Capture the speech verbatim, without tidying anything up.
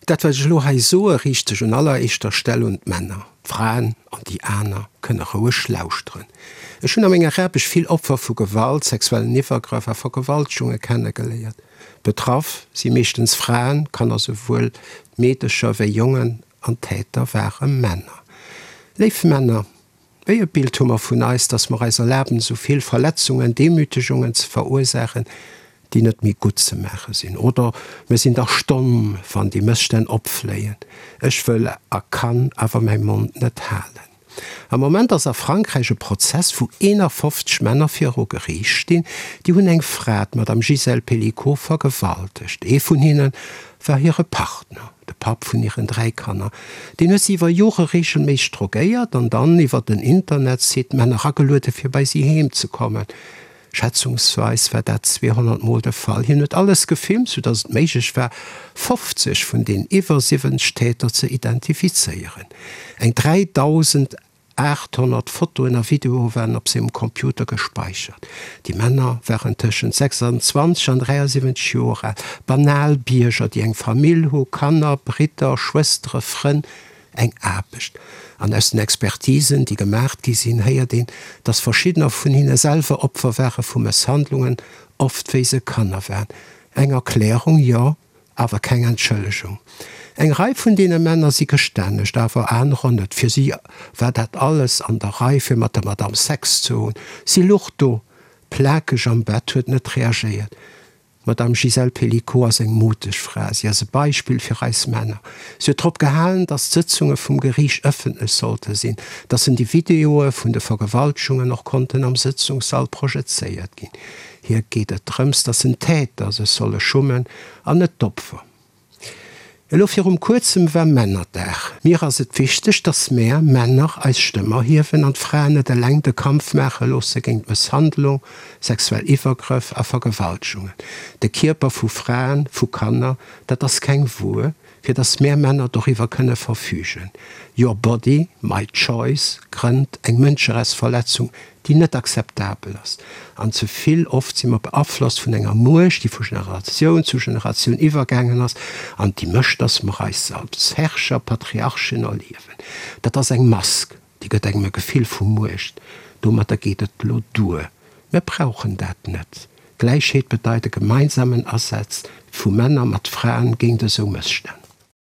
Dat wat ech elo hei soe riicht sech un alleréischter Stell un d'Männer. D'Fraen an déi aner kënne roueg lauschteren. Ech hunn a menger Aarbecht vill Opfer vu Gewalt, sexuellen Iwwergrëff a Vergewaltegunge kennegeléiert. Betraff si meeschtens Fraen, Kanner, souwuel Meedecher wéi Jongen, an d'Täter ware Männer. Léif Männer, wéi e Bild hu mer vun eis, dass mer eis erlaben, esou vill Verletzungen, Demütegungen ze verursaachen, déi net méi gutt ze maache sinn? Oder mir sinn dach stomm, wann déi Mësstänn opfléien. Ech wëll a kann awer mäi Mond net halen. Am Moment ass a Frankräich e Prozess, wou eenafofzeg Männer viru Geriicht stinn. Déi hunn eng Fra, d'Madame Gisèle Pelicot, vergewaltegt. Ee vun hinne war hire Partner, de Papp vun hiren dräi Kanner. Deen huet si iwwer Jore reegelméisseg drogéiert an dann iwwer den Internetsite Männer ageluede fir bei si heem ze kommen. Schätzungsweis war dat zweehonnert Mol de Fall. Hien huet alles gefilmt, sou datt et méiglech war, fofzeg vun den iwwer siwwenzeg Täter ze identifizéieren. Eng dräidausendaathonnert Fotoen a Videoe waren op sengem Computer gespeichert. Déi Männer waren tëschent sechsanzwanzeg an dräiasiwwenzeg Joer al, banal Bierger, déi eng Famill hu, Kanner, Bridder, Schwëstere, Frënn, eng Aarbecht. An aus den Expertisen, déi gemaacht gi sinn, héiert een, dass verschiddener vun hinne selwer Opfer ware vu Mësshandlungen, oft wéi se Kanner waren. Eng Erklärung, jo, awer keng Entschëllegung. Eng Rei vun deene Männer si gestännegt, awer anerer net. Fir si war dat alles an der Rei, fir mat der Madame Sex ze hunn. Si luch do, plakeg am Bett, huet net reagéiert. D'Madame Gisèle Pelicot ass eng muteg Fra. Si ass e Beispill fir eis Männer. Si huet drop gehalen, datt d'Sëtzunge vum Geriicht ëffentlech sollte sinn, datt en déi Videoe vun de Vergewaltegungen och konnten am Sëtzungssall projezéiert ginn. Hir geet et drëms, datt en d'Täter sech solle schummen an net d'Opfer. Elo virum kuerzem war Männerdag. Mir ass et wichteg, dass mär Männer eis Stëmm erhiewen an d'Fraen net eleng de Kampf maache loosse géint Mësshandlung, sexuell Iwwergrëff a Vergewaltegungen. De Kierper vu Fraen, vu Kanner, dat ass keng Wuer, fir dass mär Männer doriwwer kënne verfügen. Your body, my choice grënnt eng Mënscherechtsverletzung, déi net akzeptabel ass. An ze vill oft si mer beaflosst vun enger Muecht, déi vu Generatioun zu Generatioun iwwergaangen ass an déi mécht, dass mer eis als Herrscher, Patriarchen erliewen. Dat ass eng Mask, déi gëtt engem e Gefill vu Muecht. Domatter geet et elo duer. Mir brauchen dat net. Gläichheet bedeit e gemeinsamen Asaz vu Männer mat Fraen géint esou Mësstänn.